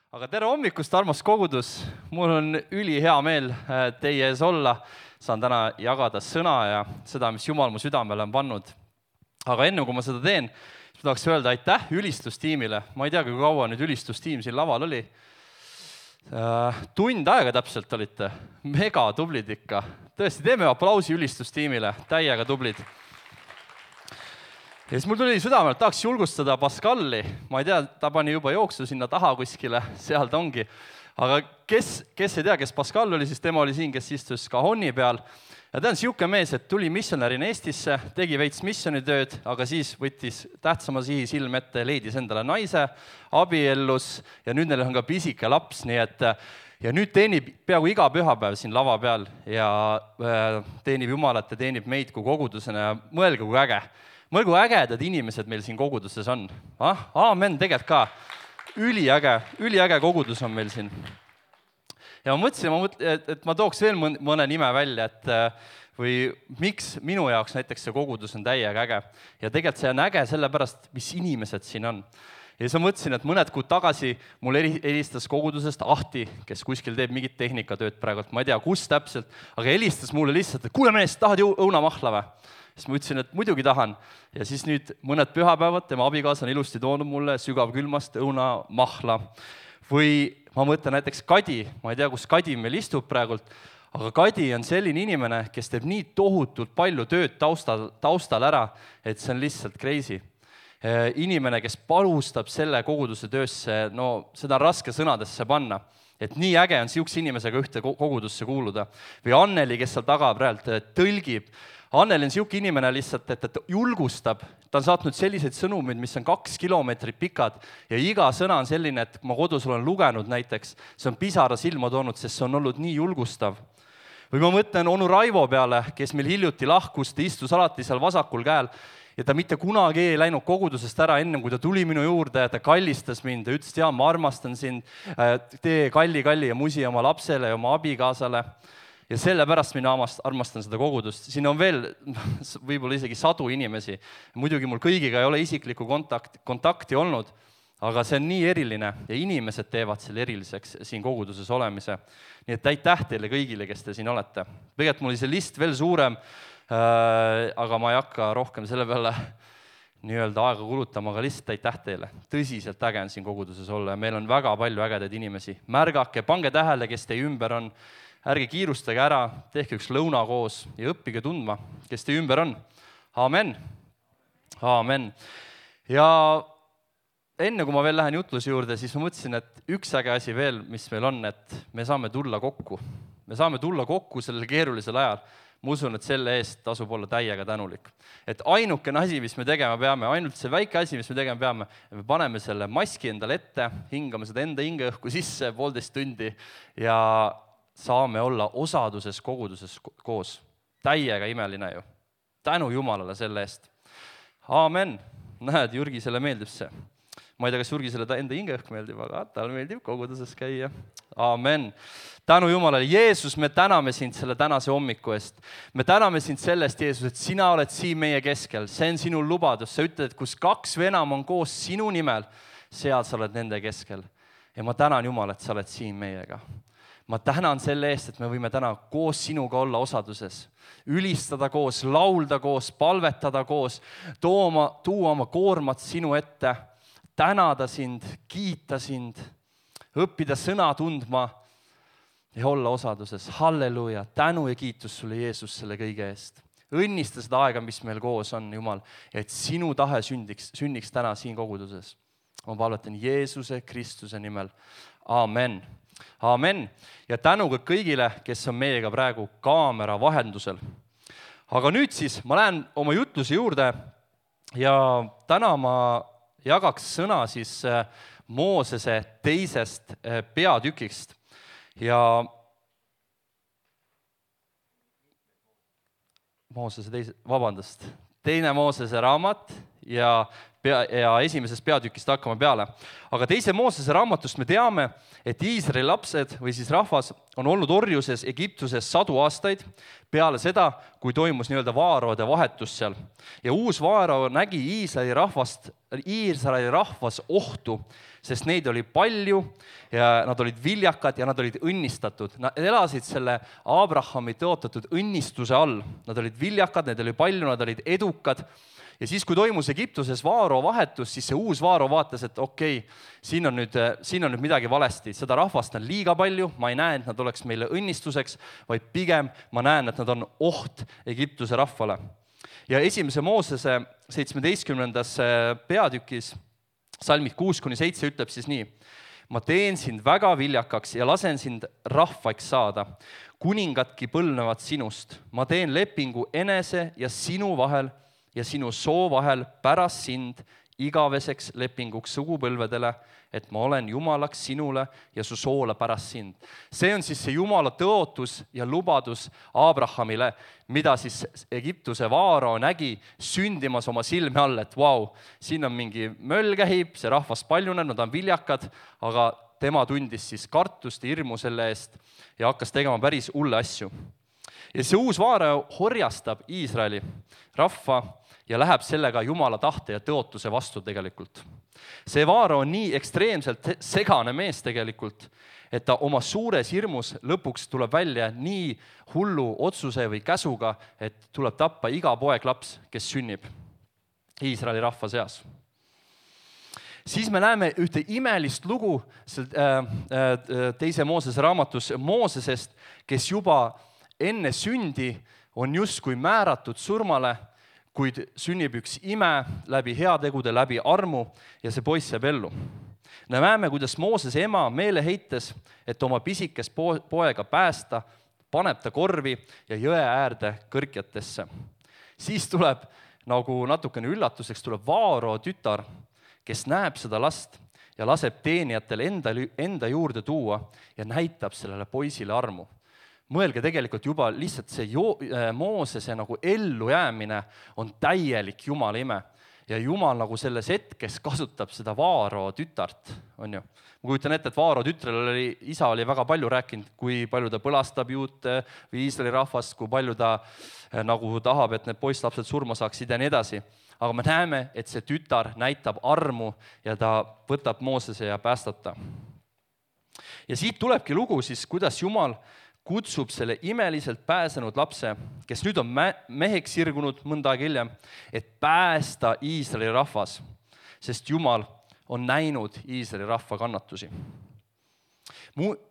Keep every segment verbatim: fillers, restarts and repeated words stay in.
Aga tere hommikust, armas kogudus! Mul on üli hea meel teie ees olla. Saan täna jagada sõna ja seda, mis Jumal mu südamele on pannud. Aga enne kui ma seda teen, siis ma tahaks öelda aitäh ülistustiimile. Ma ei tea, kui kaua nüüd ülistustiim siin laval oli. Tund aega täpselt olite. Mega tublid ikka. Tõesti, teeme aplausi ülistustiimile. Täiega tublid. Ja siis mul tuli südamelt, tahaks julgustada Pascali. Ma ei tea, ta pani juba jooksu sinna taha kuskile, seal ta ongi. Aga kes, kes ei tea, kes Pascal oli, siis tema oli siin, kes istus kahonni peal. Ja ta on siuke mees, et tuli missionärina Eestisse, tegi veits missionitööd, aga siis võttis tähtsama sihi silm ette, leidis endale naise, abiellus ja nüüd neil on ka pisike laps, nii et ja nüüd teenib peaaegu iga pühapäev siin lava peal ja teenib Jumalat ja teenib meid kui kogudusena ja mõelge kui äge. Mõelge, kui ägedad inimesed meil siin koguduses on. Ah, aamen, tegelikult ka. Üliäge, üliäge kogudus on meil siin. Ja ma mõtlesin, et ma tooks veel mõne nime välja, et või miks minu jaoks näiteks see kogudus on täiega äge. Ja tegelikult see on äge sellepärast, mis inimesed siin on. Ja siis ma mõtlesin, et mõned kuud tagasi mul helistas kogudusest Ahti, kes kuskil teeb mingit tehnikatööd praegu, ma ei tea, kus täpselt, aga helistas mulle lihtsalt, et kuule mees, tahad ju õunamahla või? Siis ma ütlesin, et muidugi tahan. Ja siis nüüd mõned pühapäevad tema abikaasa on ilusti toonud mulle sügavkülmast õunamahla. Või ma mõtlen näiteks Kadi, ma ei tea, kus Kadi meil istub praegult, aga Kadi on selline inimene, kes teeb nii tohutult palju tööd taustal, taustal ära, et see on lihtsalt crazy. Inimene, kes panustab selle koguduse töösse, no seda on raske sõnadesse panna. Et nii äge on siukse inimesega ühte kogudusse kuuluda. Või Anneli, kes seal taga praegu tõlgib. Anneli on siuke inimene lihtsalt, et ta julgustab. Ta on saatnud selliseid sõnumid, mis on kaks kilomeetrit pikad ja iga sõna on selline, et ma kodus olen lugenud näiteks. See on pisara silma toonud, sest see on olnud nii julgustav. Või ma mõtlen onu Raivo peale, kes meil hiljuti lahkus, ta istus alati seal vasakul käel ja ta mitte kunagi ei läinud kogudusest ära enne, kui ta tuli minu juurde ja ta kallistas mind ja ütles, et jaa, ma armastan sind, tee kalli, kalli ja musi oma lapsele ja oma abikaasale. Ja sellepärast mina armastan seda kogudust. Siin on veel võib-olla isegi sadu inimesi. Muidugi mul kõigiga ei ole isiklikku kontakt, kontakti olnud, aga see on nii eriline ja inimesed teevad selle eriliseks siin koguduses olemise. Nii et aitäh teile kõigile, kes te siin olete. Tegelikult mul oli see list veel suurem, aga ma ei hakka rohkem selle peale nii-öelda aega kulutama, aga lihtsalt aitäh teile. Tõsiselt äge on siin koguduses olla ja meil on väga palju ägedaid inimesi. Märgake, pange tähele, kes teie ümber on. Ärge kiirustage ära, tehke üks lõuna koos ja õppige tundma, kes te ümber on. Aamen. Aamen. Ja enne kui ma veel lähen jutluse juurde, siis ma mõtlesin, et üks äge asi veel, mis meil on, et me saame tulla kokku. Me saame tulla kokku sellel keerulisel ajal. Ma usun, et selle eest tasub olla täiega tänulik. Et ainukene asi, mis me tegema peame, ainult see väike asi, mis me tegema peame, me paneme selle maski endale ette, hingame seda enda hingeõhku sisse poolteist tundi ja saame olla osaduses koguduses koos. Täiega imeline ju. Tänu Jumalale selle eest. Aamen. Näed, Jürgisele meeldib see. Ma ei tea, kas Jürgisele enda hingeõhk meeldib, aga tal meeldib koguduses käia. Aamen. Tänu Jumalale. Jeesus, me täname sind selle tänase hommiku eest. Me täname sind sellest, Jeesus, et sina oled siin meie keskel. See on sinu lubadus. Sa ütled, et kus kaks või enam on koos sinu nimel, seal sa oled nende keskel. Ja ma tänan Jumal, et sa oled siin meiega. Ma tänan selle eest, et me võime täna koos sinuga olla osaduses. Ülistada koos, laulda koos, palvetada koos, tooma, tuua oma koormat sinu ette, tänada sind, kiita sind, õppida sõna tundma ja olla osaduses. Halleluja, tänu ja kiitus sulle, Jeesus, selle kõige eest. Õnnista seda aega, mis meil koos on, Jumal, et sinu tahe sündiks, sünniks täna siin koguduses. Ma palvetan Jeesuse Kristuse nimel. Aamen. Aamen. Ja tänu kõigile, kes on meiega praegu kaamera vahendusel. Aga nüüd siis ma lähen oma jutluse juurde ja täna ma jagaks sõna siis Moosese teisest peatükist. Ja Moosese teise, vabandust, teine Moosese raamat ja pea, ja esimesest peatükist hakkame peale. Aga teise Moosese raamatust me teame, et Iisraeli lapsed või siis rahvas on olnud orjuses Egiptuses sadu aastaid peale seda, kui toimus nii-öelda vaaraode vahetus seal. Ja uus vaarao nägi Iisraeli rahvast, Iisraeli rahvas ohtu, sest neid oli palju ja nad olid viljakad ja nad olid õnnistatud. Nad elasid selle Abrahami tõotatud õnnistuse all. Nad olid viljakad, neid oli palju, nad olid edukad. Ja siis, kui toimus Egiptuses vaaro vahetus, siis see uus vaaro vaatas, et okei, okay, siin on nüüd, siin on nüüd midagi valesti. Seda rahvast on liiga palju, ma ei näe, et nad oleks meile õnnistuseks, vaid pigem ma näen, et nad on oht Egiptuse rahvale. Ja esimese Moosese seitsmeteistkümnendas peatükis salmid kuus kuni seitse ütleb siis nii. Ma teen sind väga viljakaks ja lasen sind rahvaks saada. Kuningadki põlnevad sinust. Ma teen lepingu enese ja sinu vahel ja sinu soo vahel pärast sind igaveseks lepinguks sugupõlvedele, et ma olen Jumalaks sinule ja su soole pärast sind. See on siis see Jumala tõotus ja lubadus Abrahamile, mida siis Egiptuse vaarao nägi sündimas oma silme all, et vau, siin on mingi möll käib, see rahvas paljuneb, nad on viljakad, aga tema tundis siis kartust ja hirmu selle eest ja hakkas tegema päris hulle asju. Ja see uus vaarao horjastab Iisraeli rahva ja läheb sellega Jumala tahte ja tõotuse vastu tegelikult. See vaarao on nii ekstreemselt segane mees tegelikult, et ta oma suures hirmus lõpuks tuleb välja nii hullu otsuse või käsuga, et tuleb tappa iga poeglaps, kes sünnib Iisraeli rahva seas. Siis me näeme ühte imelist lugu teise Moosese raamatus Moosesest, kes juba enne sündi on justkui määratud surmale, kuid sünnib üks ime läbi heategude, läbi armu ja see poiss jääb ellu. Me näeme, kuidas Moosese ema meeleheites, et oma pisikest poega päästa, paneb ta korvi ja jõe äärde kõrkjatesse. Siis tuleb nagu natukene üllatuseks, tuleb vaarao tütar, kes näeb seda last ja laseb teenijatel enda, enda juurde tuua ja näitab sellele poisile armu. Mõelge tegelikult juba lihtsalt see jo- Moosese nagu ellu jäämine on täielik Jumala ime. Ja Jumal nagu selles hetkes kasutab seda vaarao tütart, on ju. Ma kujutan ette, et vaarao tütrel oli, isa oli väga palju rääkinud, kui palju ta põlastab juute või Iisraeli rahvast, kui palju ta nagu tahab, et need poisslapsed surma saaksid ja nii edasi. Aga me näeme, et see tütar näitab armu ja ta võtab Moosese ja päästab ta. Ja siit tulebki lugu siis, kuidas Jumal kutsub selle imeliselt pääsenud lapse, kes nüüd on meheks sirgunud mõnda aega hiljem, et päästa Iisraeli rahvas, sest Jumal on näinud Iisraeli rahva kannatusi.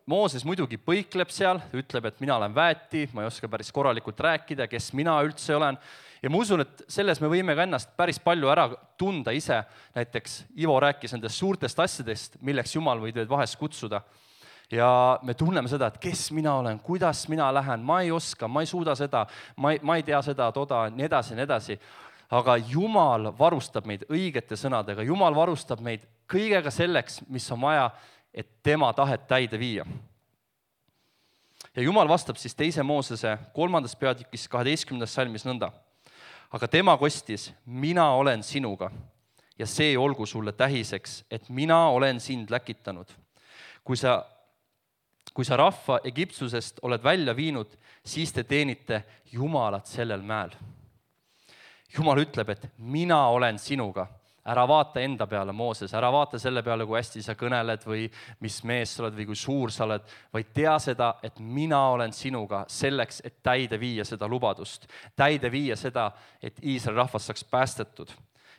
Mooses muidugi põikleb seal, ütleb, et mina olen väeti, ma ei oska päris korralikult rääkida, kes mina üldse olen. Ja ma usun, et selles me võime ka ennast päris palju ära tunda ise. Näiteks Ivo rääkis nendest suurtest asjadest, milleks Jumal võib teid vahest kutsuda. Ja me tunneme seda, et kes mina olen, kuidas mina lähen, ma ei oska, ma ei suuda seda, ma ei, ma ei tea seda, toda, nii edasi, nii edasi. Aga Jumal varustab meid õigete sõnadega, Jumal varustab meid kõigega selleks, mis on vaja, et tema tahet täide viia. Ja Jumal vastab siis teise Moosese kolmandas peatükis kaheteistkümnendas salmis nõnda. Aga tema kostis, mina olen sinuga ja see olgu sulle tähiseks, et mina olen sind läkitanud. Kui sa Kui sa rahva Egiptusest oled välja viinud, siis te teenite Jumalat sellel mäel. Jumal ütleb, et mina olen sinuga. Ära vaata enda peale, Mooses, ära vaata selle peale, kui hästi sa kõneled või mis mees sa oled või kui suur sa oled, vaid tea seda, et mina olen sinuga selleks, et täide viia seda lubadust. Täide viia seda, et Iisraeli rahvas saaks päästetud.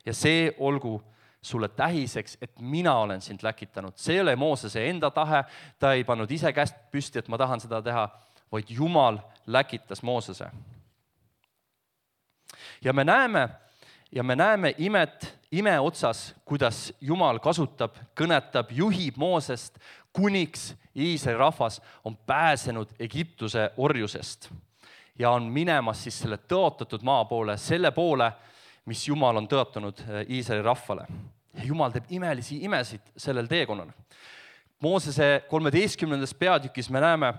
Ja see olgu sulle tähiseks, et mina olen sind läkitanud. See ei ole Moosese enda tahe, ta ei pannud ise käest püsti, et ma tahan seda teha, vaid Jumal läkitas Moosese. Ja me näeme, ja me näeme imet, ime otsas, kuidas Jumal kasutab, kõnetab, juhib Moosest, kuniks Iisraeli rahvas on pääsenud Egiptuse orjusest ja on minemas siis selle tõotatud maa poole, selle poole, mis Jumal on tõotanud Iisraeli rahvale. Ja Jumal teeb imelisi imesid sellel teekonnal. Moosese kolmeteistkümnendas peatükis me näeme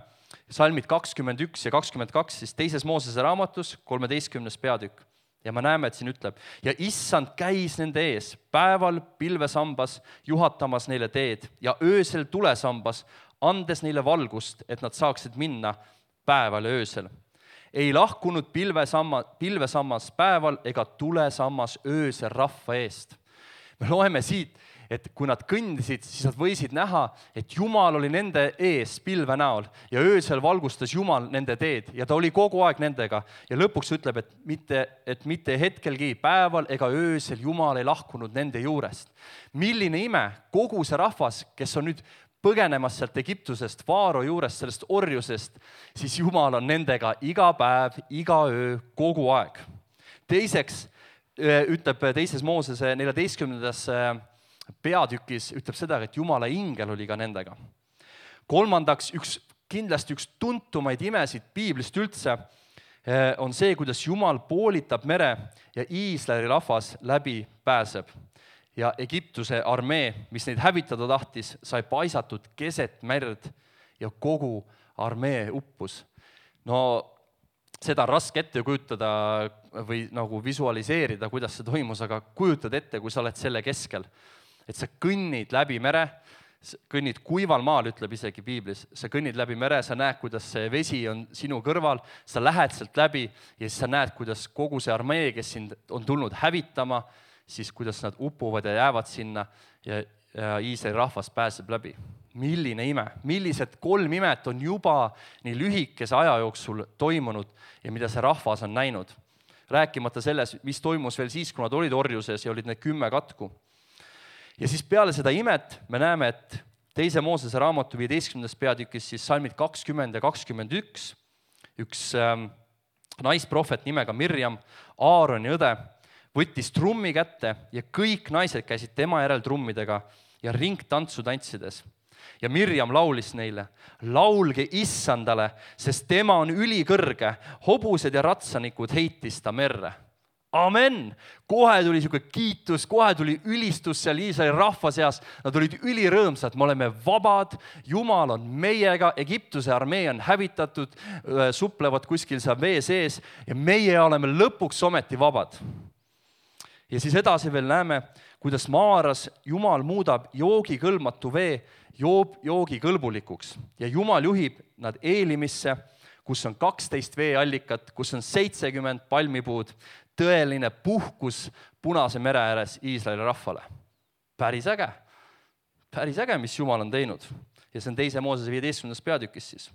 salmid kakskümmend üks ja kakskümmend kaks, siis teises Moosese raamatus, kolmeteistkümnes peatükk. Ja me näeme, et siin ütleb, ja issand käis nende ees päeval pilvesambas, juhatamas neile teed ja öösel tulesambas, andes neile valgust, et nad saaksid minna päeval ja öösel. Ei lahkunud pilvesamma, pilvesammas päeval ega tulesammas öösel rahva eest. Me loeme siit, et kui nad kõndisid, siis nad võisid näha, et Jumal oli nende ees pilve näol ja öösel valgustas Jumal nende teed ja ta oli kogu aeg nendega. Ja lõpuks ütleb, et mitte, et mitte hetkelgi päeval ega öösel Jumal ei lahkunud nende juurest. Milline ime, kogu see rahvas, kes on nüüd põgenemas sealt Egiptusest, Faaro juurest, sellest orjusest, siis Jumal on nendega iga päev, iga öö, kogu aeg. Teiseks ütleb teises Moosese neljateistkümnendas peatükis, ütleb seda, et Jumala ingel oli ka nendega. Kolmandaks, üks, kindlasti üks tuntumaid imesid piiblist üldse on see, kuidas Jumal poolitab mere ja Iisraeli rahvas läbi pääseb. Ja Egiptuse armee, mis neid hävitada tahtis, sai paisatud keset merd ja kogu armee uppus. No seda on raske ette kujutada või nagu visualiseerida, kuidas see toimus, aga kujutad ette, kui sa oled selle keskel. Et sa kõnnid läbi mere, kõnnid kuival maal, ütleb isegi piiblis, sa kõnnid läbi mere, sa näed, kuidas see vesi on sinu kõrval, sa lähed sealt läbi ja siis sa näed, kuidas kogu see armee, kes sind on tulnud hävitama, siis kuidas nad upuvad ja jäävad sinna ja, ja Iisraeli rahvas pääseb läbi. Milline ime, millised kolm imet on juba nii lühikese aja jooksul toimunud ja mida see rahvas on näinud. Rääkimata selles, mis toimus veel siis, kui nad olid orjuses ja olid need kümme katku. Ja siis peale seda imet me näeme, et teise Moosese raamatu viieteistkümnendas peatükis siis salmid kakskümmend ja kakskümmend üks, üks ähm, naisprohvet nimega Mirjam, Aaroni õde, võttis trummi kätte ja kõik naised käisid tema järel trummidega ja ringtantsu tantsides. Ja Mirjam laulis neile, laulge issandale, sest tema on ülikõrge, hobused ja ratsanikud heitis ta merre. Amen! Kohe tuli siuke kiitus, kohe tuli ülistus seal Iisraeli rahva seas. Nad olid ülirõõmsad, me oleme vabad, Jumal on meiega, Egiptuse armee on hävitatud, suplevad kuskil seal vee sees ja meie oleme lõpuks ometi vabad. Ja siis edasi veel näeme, kuidas Maaras Jumal muudab joogikõlbmatu vee joob joogikõlbulikuks ja Jumal juhib nad Eelimisse, kus on kaksteist veeallikat, kus on seitsekümmend palmipuud, tõeline puhkus Punase mere ääres Iisraeli rahvale. Päris äge, päris äge, mis Jumal on teinud. Ja see on teise Moosese viieteistkümnendas peatükis siis.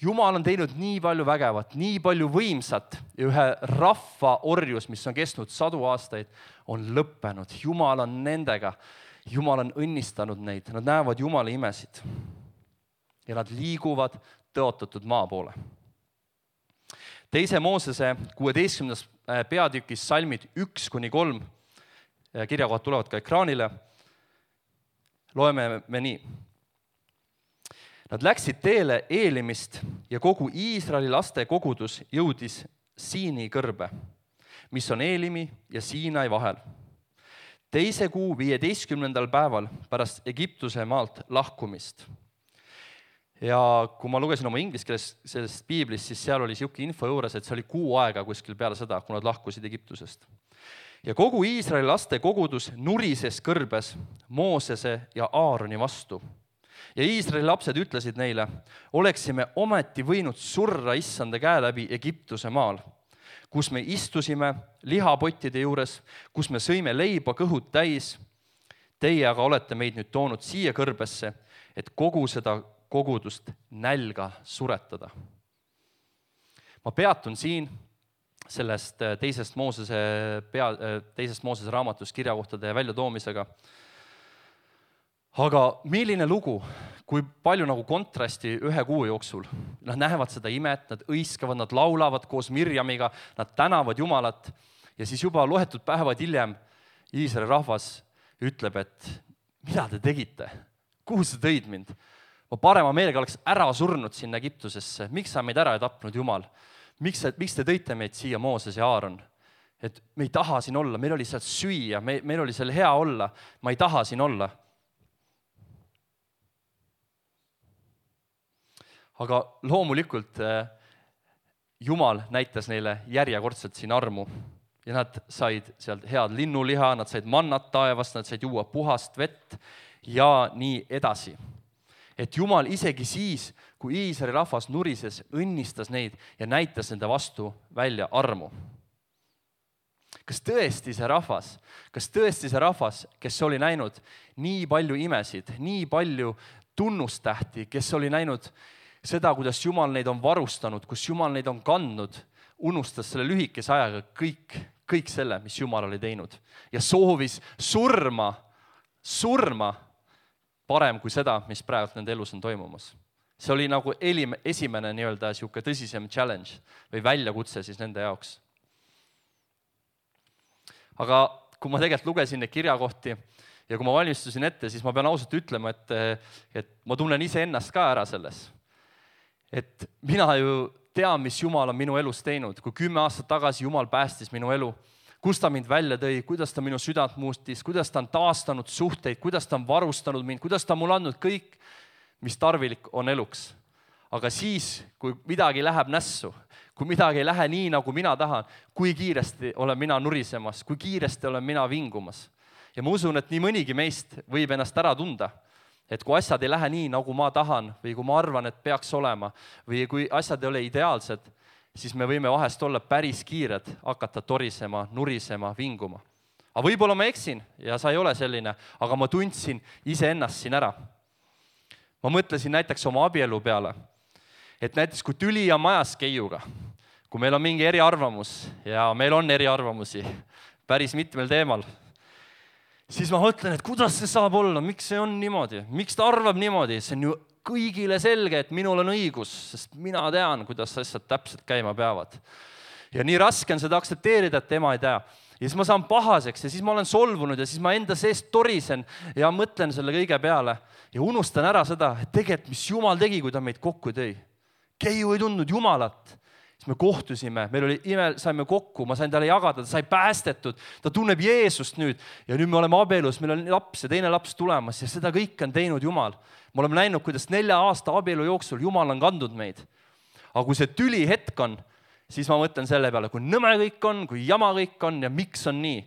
Jumal on teinud nii palju vägevat, nii palju võimsat ja ühe rahva orjus, mis on kestnud sadu aastaid, on lõppenud. Jumal on nendega, Jumal on õnnistanud neid, nad näevad Jumala imesid ja nad liiguvad tõotatud maa poole. Teise Moosese kuueteistkümnendas peatükis salmid üks kuni kolm, kirjakohad tulevad ka ekraanile, loeme me nii. Nad läksid teele Eelimist ja kogu Iisraeli laste kogudus jõudis Siini kõrbe, mis on Eelimi ja Siinai vahel. Teise kuu viieteistkümnendal päeval pärast Egiptuse maalt lahkumist. Ja kui ma lugesin oma inglise keeles sellest piiblist, siis seal oli siuke info juures, et see oli kuu aega kuskil peale seda, kui nad lahkusid Egiptusest. Ja kogu Iisraeli laste kogudus nurises kõrbes Moosese ja Aaroni vastu. Ja Iisraeli lapsed ütlesid neile, oleksime ometi võinud surra issanda käe läbi Egiptuse maal, kus me istusime lihapottide juures, kus me sõime leiba kõhud täis. Teie aga olete meid nüüd toonud siia kõrbesse, et kogu seda kogudust nälga suretada. Ma peatun siin sellest teisest Moosese, pea, teisest Moosese raamatust kirjakohtade väljatoomisega. Aga milline lugu, kui palju nagu kontrasti ühe kuu jooksul. Nad näevad seda imet, nad õiskavad, nad laulavad koos Mirjamiga, nad tänavad Jumalat ja siis juba loetud päevad hiljem Iisraeli rahvas ütleb, et mida te tegite? Kuhu sa tõid mind? Ma parema meelega oleks ära surnud sinna Egiptusesse. Miks sa meid ära ei tapnud, Jumal? Miks, miks te tõite meid siia Mooses ja Aaron? Et me ei taha siin olla, meil oli seal süüa, me, meil oli seal hea olla, ma ei taha siin olla. Aga loomulikult Jumal näitas neile järjekordselt siin armu ja nad said sealt head linnuliha, nad said mannat taevast, nad said juua puhast vett ja nii edasi. Et Jumal isegi siis, kui Iisraeli rahvas nurises, õnnistas neid ja näitas nende vastu välja armu. Kas tõesti see rahvas, kas tõesti see rahvas, kes oli näinud nii palju imesid, nii palju tunnustähti, kes oli näinud seda, kuidas Jumal neid on varustanud, kus Jumal neid on kandnud, unustas selle lühikese ajaga kõik, kõik selle, mis Jumal oli teinud ja soovis surma, surma parem kui seda, mis praegu nende elus on toimumas. See oli nagu esimene nii-öelda siuke tõsisem challenge või väljakutse siis nende jaoks. Aga kui ma tegelikult lugesin neid kirjakohti ja kui ma valmistusin ette, siis ma pean ausalt ütlema, et, et ma tunnen ise ennast ka ära selles. Et mina ju tean, mis Jumal on minu elus teinud, kui kümme aastat tagasi Jumal päästis minu elu, kus ta mind välja tõi, kuidas ta minu südant muustis, kuidas ta on taastanud suhteid, kuidas ta on varustanud mind, kuidas ta on mulle andnud kõik, mis tarvilik on eluks. Aga siis, kui midagi läheb nässu, kui midagi ei lähe nii, nagu mina tahan, kui kiiresti olen mina nurisemas, kui kiiresti olen mina vingumas. Ja ma usun, et nii mõnigi meist võib ennast ära tunda, et kui asjad ei lähe nii, nagu ma tahan või kui ma arvan, et peaks olema või kui asjad ei ole ideaalsed, siis me võime vahest olla päris kiired, hakata torisema, nurisema, vinguma. Aga võib-olla ma eksin ja sa ei ole selline, aga ma tundsin iseennast siin ära. Ma mõtlesin näiteks oma abielu peale, et näiteks kui tüli on majas keiuga, kui meil on mingi eriarvamus ja meil on eriarvamusi päris mitmel teemal, siis ma mõtlen, et kuidas see saab olla, miks see on niimoodi, miks ta arvab niimoodi, see on ju kõigile selge, et minul on õigus, sest mina tean, kuidas asjad täpselt käima peavad. Ja nii raske on seda aksepteerida, et tema ei tea. Ja siis ma saan pahaseks ja siis ma olen solvunud ja siis ma enda seest torisen ja mõtlen selle kõige peale ja unustan ära seda, et tegelikult mis Jumal tegi, kui ta meid kokku tõi. Keiu ei tundnud Jumalat. Siis me kohtusime, meil oli ime, saime kokku, ma sain talle jagada, ta sai päästetud, ta tunneb Jeesust nüüd ja nüüd me oleme abielus, meil on laps ja teine laps tulemas ja seda kõik on teinud Jumal. Me oleme näinud, kuidas nelja aasta abielu jooksul Jumal on kandnud meid. Aga kui see tüli hetk on, siis ma mõtlen selle peale, kui nõme kõik on, kui jama kõik on ja miks on nii.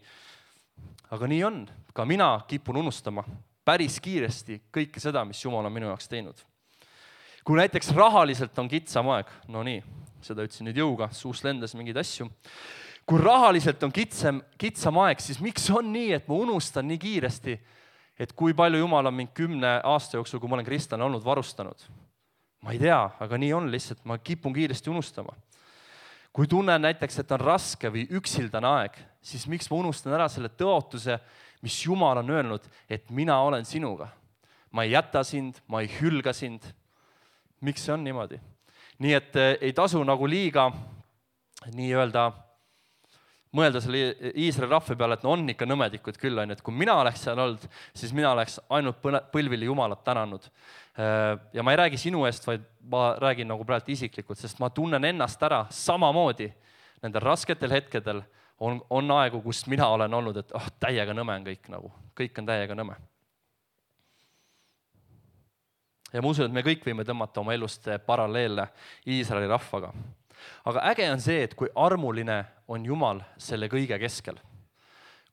Aga nii on, ka mina kipun unustama päris kiiresti kõike seda, mis Jumal on minu jaoks teinud. Kui näiteks rahaliselt on kitsam aeg, no nii, seda ütlesin nüüd jõuga, suust lendas mingeid asju. Kui rahaliselt on kitsam, kitsam aeg, siis miks on nii, et ma unustan nii kiiresti, et kui palju Jumal on mind kümne aasta jooksul, kui ma olen kristlane olnud, varustanud. Ma ei tea, aga nii on lihtsalt, ma kipun kiiresti unustama. Kui tunnen näiteks, et on raske või üksildane aeg, siis miks ma unustan ära selle tõotuse, mis Jumal on öelnud, et mina olen sinuga. Ma ei jäta sind, ma ei hülga sind. Miks see on niimoodi? Nii et ei tasu nagu liiga nii-öelda mõelda selle Iisraeli rahva peale, et no on ikka nõmedikud küll, on, et kui mina oleks seal olnud, siis mina oleks ainult põlvili Jumalat tänanud. Ja ma ei räägi sinu eest, vaid ma räägin nagu praegu isiklikult, sest ma tunnen ennast ära samamoodi nendel rasketel hetkedel on, on aegu, kus mina olen olnud, et oh, täiega nõme on kõik, nagu. Kõik on täiega nõme. Ja ma usun, et me kõik võime tõmmata oma elust paralleelle Iisraeli rahvaga. Aga äge on see, et kui armuline on Jumal selle kõige keskel.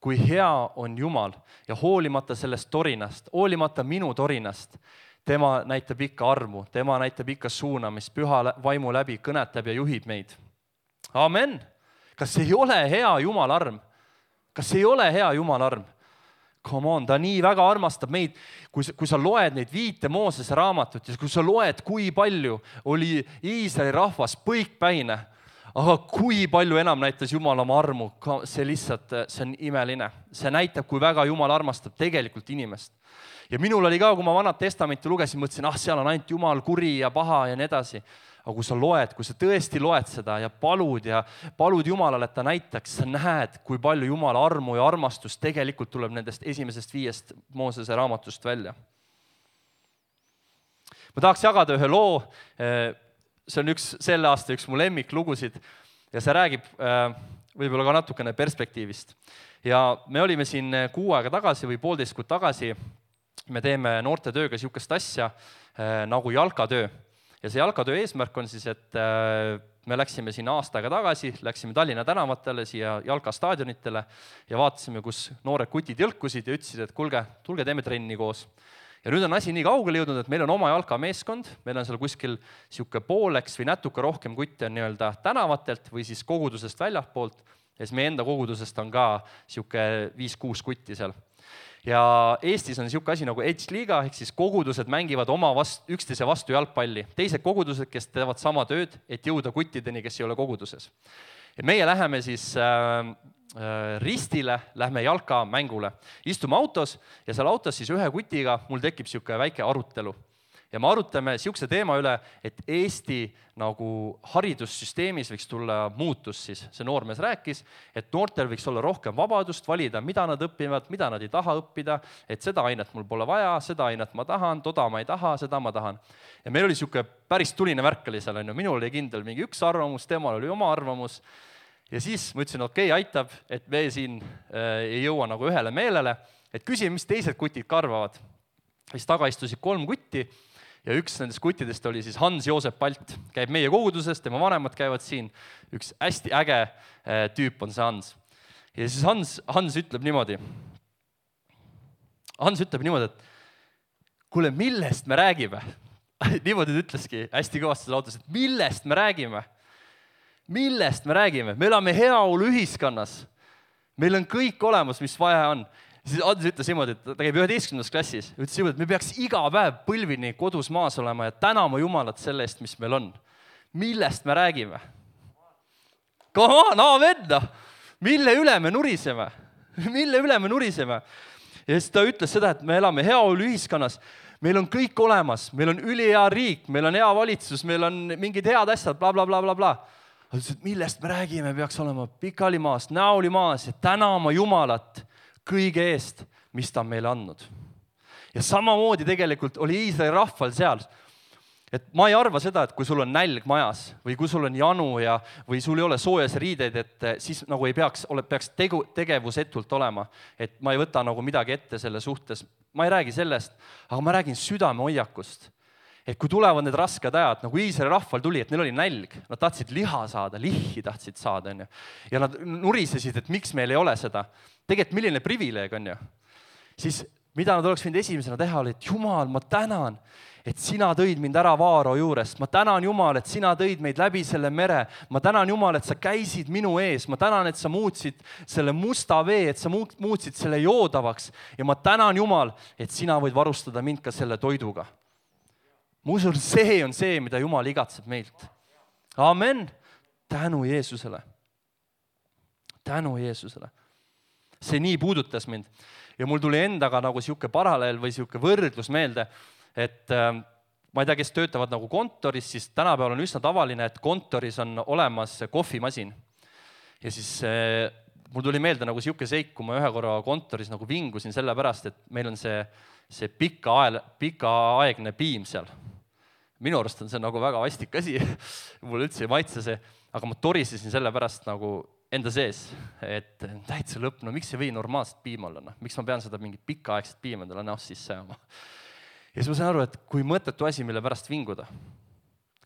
Kui hea on Jumal ja hoolimata sellest torinast, hoolimata minu torinast, tema näitab ikka armu, tema näitab ikka suunamist, püha vaimu läbi kõnetab ja juhib meid. Amen! Kas ei ole hea Jumal arm? Kas ei ole hea Jumal arm? Come on, ta nii väga armastab meid, kui, kui sa loed neid viite Moosese raamatut ja kui sa loed, kui palju oli Iisraeli rahvas põikpäine, aga kui palju enam näitas Jumal oma armu, see lihtsalt, see on imeline. See näitab, kui väga Jumal armastab tegelikult inimest. Ja minul oli ka, kui ma Vanat Testamenti lugesin, mõtlesin, ah, seal on ainult Jumal kuri ja paha ja nii edasi. Aga kui sa loed, kui sa tõesti loed seda ja palud ja palud Jumalale, et ta näitaks, sa näed, kui palju Jumala armu ja armastus tegelikult tuleb nendest esimesest viiest Moosese raamatust välja. Ma tahaks jagada ühe loo, see on üks, selle aasta üks mu lemmiklugusid ja see räägib võib-olla ka natukene perspektiivist. Ja me olime siin kuu aega tagasi või poolteist kuud tagasi, me teeme noorte tööga niisugust asja nagu jalkatöö. Ja see jalkatöö eesmärk on siis, et et me läksime siin aasta aega tagasi, läksime Tallinna tänavatele, siia Jalka staadionitele ja vaatasime, kus noored kutid jõlkusid ja ütlesid, et kulge, tulge teeme trenni koos. Ja nüüd on asi nii kaugele jõudnud, et meil on oma Jalka meeskond, meil on seal kuskil siuke pooleks või natuke rohkem kutte on nii-öelda tänavatelt või siis kogudusest väljapoolt ja siis meie enda kogudusest on ka siuke viis-kuus kutti seal. Ja Eestis on siuke asi nagu Edge-liiga, ehk siis kogudused mängivad oma vast, üksteise vastu jalgpalli. Teised kogudused, kes teevad sama tööd, et jõuda kuttideni, kes ei ole koguduses. Ja meie läheme siis äh, äh, ristile, lähme Jalka mängule. Istume autos ja seal autos siis ühe kutiga mul tekib siuke väike arutelu. Ja me arutame siukse teema üle, et Eesti nagu haridussüsteemis võiks tulla muutus siis. See noormees rääkis, et noortel võiks olla rohkem vabadust valida, mida nad õpivad, mida nad ei taha õppida, et seda ainet mul pole vaja, seda ainet ma tahan, toda ma ei taha, seda ma tahan. Ja meil oli siuke päris tuline värk oli seal, minul oli kindel mingi üks arvamus, temal oli oma arvamus. Ja siis ma ütlesin, okei, okay, aitab, et me siin äh, ei jõua nagu ühele meelele, et küsin, mis teised kutid ka arvavad. Siis taga istusid kolm kutti. Ja üks nendest kuttidest oli siis Hans-Joosep Palt, käib meie kogudusest, tema vanemad käivad siin, üks hästi äge tüüp on see Hans. Ja siis Hans, Hans ütleb niimoodi, Hans ütleb niimoodi, et kuule, millest me räägime? Niimoodi ta ütleski hästi kõvasti selle autos, et millest me räägime? Millest me räägime? Me elame heaolu ühiskonnas, meil on kõik olemas, mis vaja on. Siis Andres ütles niimoodi, et ta käib üheteistkümnendas klassis, ütles niimoodi, et me peaks iga päev põlvini kodus maas olema ja tänama Jumalat selle eest, mis meil on. Millest me räägime? Come on, amen! Mille üle me nuriseme? Mille üle me nuriseme? Ja siis ta ütles seda, et me elame heaolu ühiskonnas, meil on kõik olemas, meil on ülihea riik, meil on hea valitsus, meil on mingid head asjad, bla, bla, bla, bla, bla. Ta ütles, et millest me räägime, peaks olema pikali maas, näoli maas ja tänama Jumalat kõige eest, mis ta on meile andnud. Ja samamoodi tegelikult oli Iisraeli rahval seal. Et ma ei arva seda, et kui sul on nälg majas või kui sul on janu ja, või sul ei ole soojas riideid, et siis nagu ei peaks, peaks tegu, tegevusetult olema. Et ma ei võta nagu midagi ette selle suhtes. Ma ei räägi sellest, aga ma räägin südame hoiakust. Et kui tulevad need rasked ajad, nagu Iisraeli rahval tuli, et neil oli nälg, nad tahtsid liha saada, lihhi tahtsid saada. Ja nad nurisesid, et miks meil ei ole seda. Tegelikult milline privileeg on ju. Siis mida nad oleks võinud esimesena teha, oli, et Jumal, ma tänan, et sina tõid mind ära Vaaro juurest. Ma tänan Jumal, et sina tõid meid läbi selle mere. Ma tänan Jumal, et sa käisid minu ees. Ma tänan, et sa muutsid selle musta vee, et sa muutsid selle joodavaks. Ja ma tänan Jumal, et sina võid varustada mind ka selle toiduga. Ma usun, see on see, mida Jumal igatseb meilt. Amen. Tänu Jeesusele. Tänu Jeesusele. See nii puudutas mind. Ja mul tuli endaga nagu siuke paralleel või siuke võrdlus meelde, et äh, ma ei tea, kes töötavad nagu kontoris, siis tänapäeval on üsna tavaline, et kontoris on olemas kohvimasin. Ja siis äh, mul tuli meelde nagu siuke seik, kui ma ühe korra kontoris nagu vingusin selle pärast, et meil on see, see pika, ael, pika aegne piim seal. Minu arust on see nagu väga vastik asi, mul üldse ei maitse see, aga ma torisesin selle pärast nagu enda sees, et täitsa lõpp, no miks ei või normaalset piima olla, no? Miks ma pean seda mingit pikaaegset piima endale näost sisse ajama? Ja siis ma sain aru, et kui mõttetu asi, mille pärast vinguda,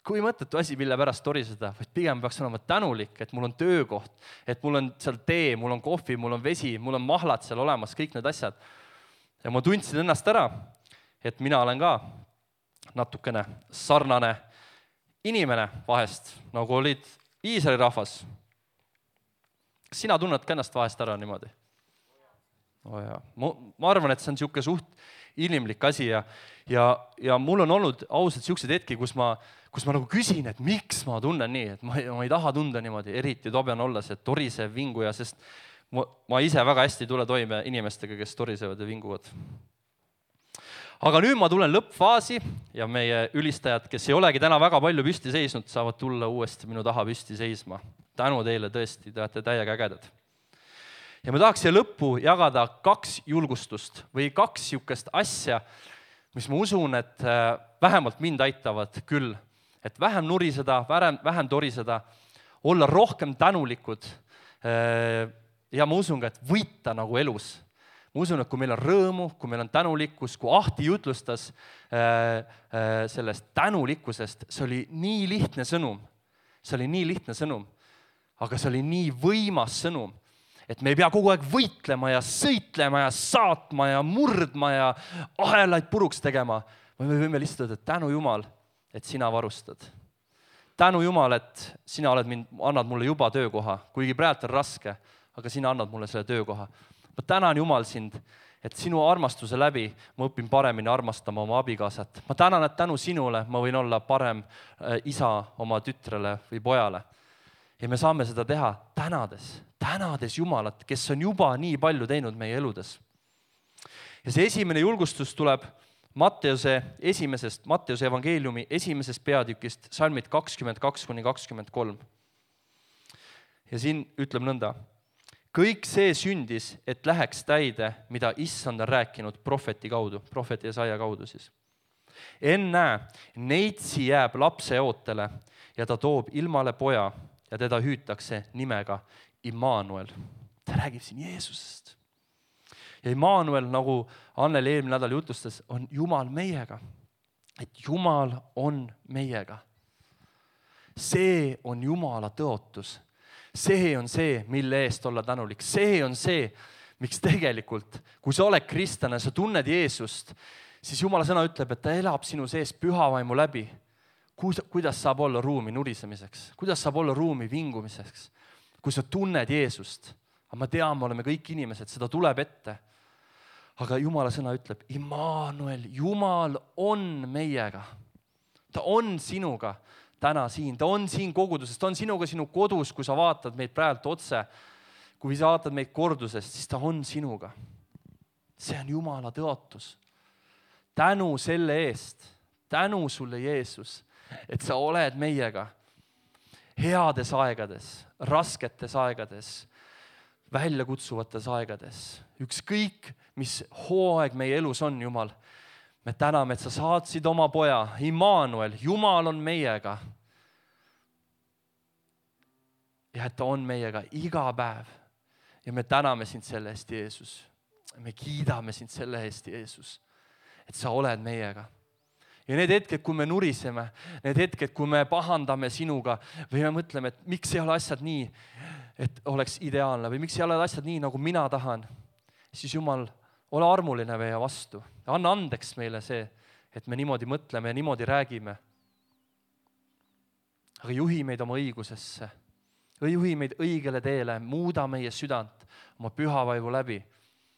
kui mõttetu asi, mille pärast toriseda, vaid pigem peaks olema tänulik, et mul on töökoht, et mul on seal tee, mul on kohvi, mul on vesi, mul on mahlad seal olemas, kõik need asjad. Ja ma tundsin ennast ära, et mina olen ka natukene sarnane inimene vahest, nagu olid Iisraeli rahvas. Kas sina tunned ka ennast vahest ära niimoodi? Oh ja. ma, ma arvan, et see on siuke suht inimlik asi ja, ja, ja mul on olnud ausalt siuksed hetki, kus ma, kus ma nagu küsin, et miks ma tunnen nii, et ma, ma ei taha tunda niimoodi, eriti tobean olla see torisev vinguja, sest ma, ma ise väga hästi ei tule toime inimestega, kes torisevad ja vinguvad. Aga nüüd ma tulen lõppfaasi ja meie ülistajad, kes ei olegi täna väga palju püsti seisnud, saavad tulla uuesti minu taha püsti seisma. Tänu teile tõesti, te olete täiega ägedad. Ja ma tahaks siia lõppu jagada kaks julgustust või kaks siukest asja, mis ma usun, et vähemalt mind aitavad küll. Et vähem nuriseda, vähem, vähem toriseda, olla rohkem tänulikud ja ma usun ka, et võita nagu elus. Ma usun, et kui meil on rõõmu, kui meil on tänulikkus, kui Ahti jutlustas äh, äh, sellest tänulikkusest, see oli nii lihtne sõnum. see oli nii lihtne sõnum, aga see oli nii võimas sõnum, et me ei pea kogu aeg võitlema ja sõitlema ja saatma ja murdma ja ahelaid puruks tegema. Me võime lihtsalt öelda, et tänu Jumal, et sina varustad. Tänu Jumal, et sina oled mind, annad mulle juba töökoha, kuigi praegu on raske, aga sina annad mulle selle töökoha. Ma tänan Jumal sind, et sinu armastuse läbi ma õpin paremini armastama oma abikaasat. Ma tänan, et tänu sinule ma võin olla parem isa oma tütrele või pojale. Ja me saame seda teha tänades, tänades Jumalat, kes on juba nii palju teinud meie eludes. Ja see esimene julgustus tuleb Matteuse esimesest, Matteuse evangeeliumi esimesest peatükist, salmid kakskümmend kaks kuni kakskümmend kolm. Ja siin ütleb nõnda. Kõik see sündis, et läheks täide, mida Issand on rääkinud prohveti kaudu, prohveti Jesaja kaudu siis. Ennäe, neitsi jääb lapse ootele ja ta toob ilmale poja ja teda hüütakse nimega Immanuel. Ta räägib siin Jeesusest. Ja Immanuel, nagu Anneli eelmine nädal jutustas, on Jumal meiega. Et Jumal on meiega. See on Jumala tõotus. See on see, mille eest olla tänulik. See on see, miks tegelikult, kui sa oled kristlane, sa tunned Jeesust, siis Jumala sõna ütleb, et ta elab sinu sees pühavaimu läbi. Kuidas saab olla ruumi nurisemiseks? Kuidas saab olla ruumi vingumiseks? Kui sa tunned Jeesust, aga ma tean, me oleme kõik inimesed, seda tuleb ette. Aga Jumala sõna ütleb, Immanuel, Jumal on meiega. Ta on sinuga täna siin, ta on siin koguduses, ta on sinuga sinu kodus, kui sa vaatad meid praegu otse, kui sa vaatad meid kordusest, siis ta on sinuga. See on Jumala tõotus. Tänu selle eest, tänu sulle Jeesus, et sa oled meiega heades aegades, rasketes aegades, väljakutsuvates aegades. Ükskõik, mis hooaeg meie elus on, Jumal. Me täname, et sa saatsid oma poja, Immanuel, Jumal on meiega. Ja et ta on meiega iga päev. Ja me täname sind selle eest, Jeesus. Me kiidame sind selle eest, Jeesus, et sa oled meiega. Ja need hetked, kui me nuriseme, need hetked, kui me pahandame sinuga või me mõtleme, et miks ei ole asjad nii, et oleks ideaalne või miks ei ole asjad nii, nagu mina tahan, siis Jumal, ole armuline meie vastu. Anna andeks meile see, et me niimoodi mõtleme ja niimoodi räägime. Aga juhi meid oma õigusesse. Juhi meid õigele teele, muuda meie südant oma pühavaimu läbi.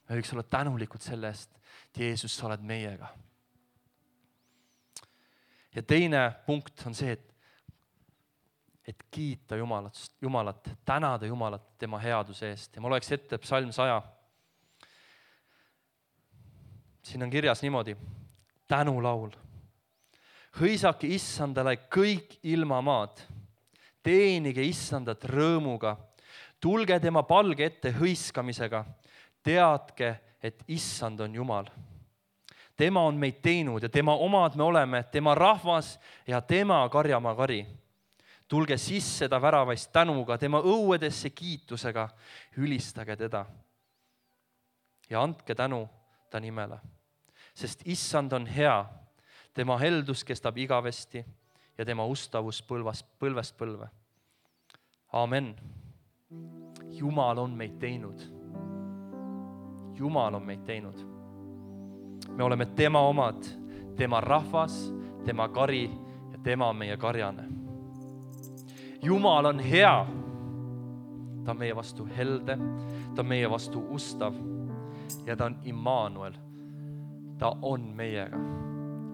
Me võiks olla tänulikud selle eest, et Jeesus, sa oled meiega. Ja teine punkt on see, et, et kiita Jumalat, Jumalat, tänada Jumalat tema headuse eest. Ja ma loeks ette psalm saja. Siin on kirjas niimoodi, tänulaul. Hõisake Issandale kõik ilmamaad, teenige Issandat rõõmuga, tulge tema palge ette hõiskamisega, teadke, et Issand on Jumal. Tema on meid teinud ja tema omad me oleme, tema rahvas ja tema karjamaa kari. Tulge sisse ta väravaist tänuga, tema õuedesse kiitusega, ülistage teda ja andke tänu ta nimele. Sest Issand on hea, tema heldus kestab igavesti ja tema ustavus põlvast, põlvest põlve. Amen. Jumal on meid teinud. Jumal on meid teinud. Me oleme tema omad, tema rahvas, tema kari ja tema on meie karjane. Jumal on hea. Ta on meie vastu helde, ta on meie vastu ustav ja ta on Immanuel. Ta on meiega.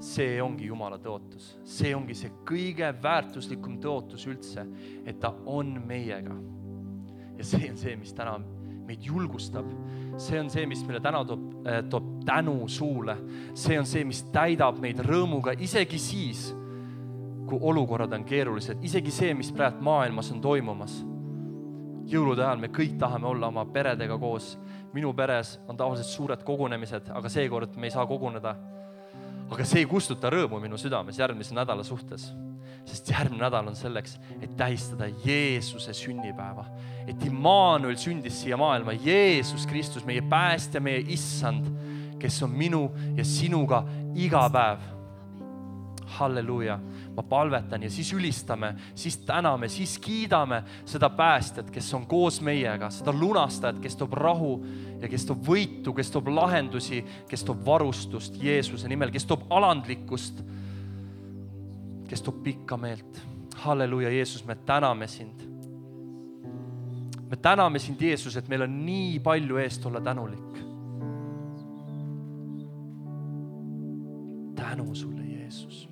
See ongi Jumala tõotus. See ongi see kõige väärtuslikum tõotus üldse, et ta on meiega. Ja see on see, mis täna meid julgustab. See on see, mis meile täna toob, äh, toob tänu suule. See on see, mis täidab meid rõõmuga, isegi siis, kui olukorrad on keerulised. Isegi see, mis praegu maailmas on toimumas. Jõulude ajal me kõik tahame olla oma peredega koos. Minu peres on tavaliselt suured kogunemised, aga seekord me ei saa koguneda. Aga see ei kustuta rõõmu minu südames järgmise nädala suhtes. Sest järgmine nädal on selleks, et tähistada Jeesuse sünnipäeva. Et Immanuel sündis siia maailma. Jeesus Kristus, meie päästja, meie Issand, kes on minu ja sinuga iga päev. Halleluuja. Ma palvetan ja siis ülistame, siis täname, siis kiidame seda päästjat, kes on koos meiega, seda lunastajat, kes toob rahu ja kes toob võitu, kes toob lahendusi, kes toob varustust Jeesuse nimel, kes toob alandlikkust, kes toob pikka meelt. Halleluuja, Jeesus, me täname sind. Me täname sind, Jeesus, et meil on nii palju eest olla tänulik. Tänu sulle, Jeesus.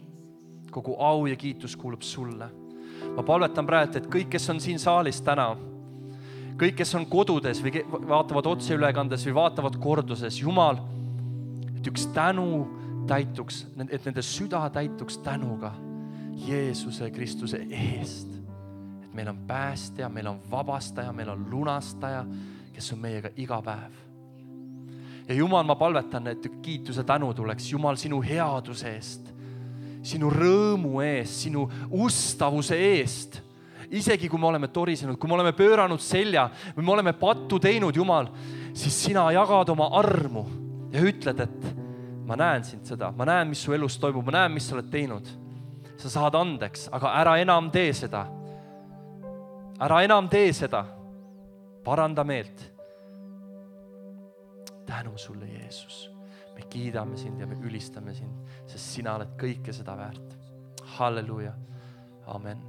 Kogu au ja kiitus kuulub sulle. Ma palvetan praegu, et kõik, kes on siin saalis täna, kõik, kes on kodudes või vaatavad otseülekandes või vaatavad korduses, Jumal, et üks tänu täituks, et nende süda täituks tänuga Jeesuse Kristuse eest. Et meil on päästja, meil on vabastaja, meil on lunastaja, kes on meiega iga päev. Ja Jumal, ma palvetan, et kiituse tänu tuleks, Jumal, sinu headuse eest, sinu rõõmu eest, sinu ustavuse eest. Isegi kui me oleme torisenud, kui me oleme pööranud selja või me oleme pattu teinud, Jumal, siis sina jagad oma armu ja ütled, et ma näen sind seda, ma näen, mis su elus toimub, ma näen, mis sa oled teinud. Sa saad andeks, aga ära enam tee seda. Ära enam tee seda. Paranda meelt. Tänu sulle, Jeesus. Me kiidame sind ja me ülistame sind, sest sina oled kõike seda väärt. Halleluuja. Amen.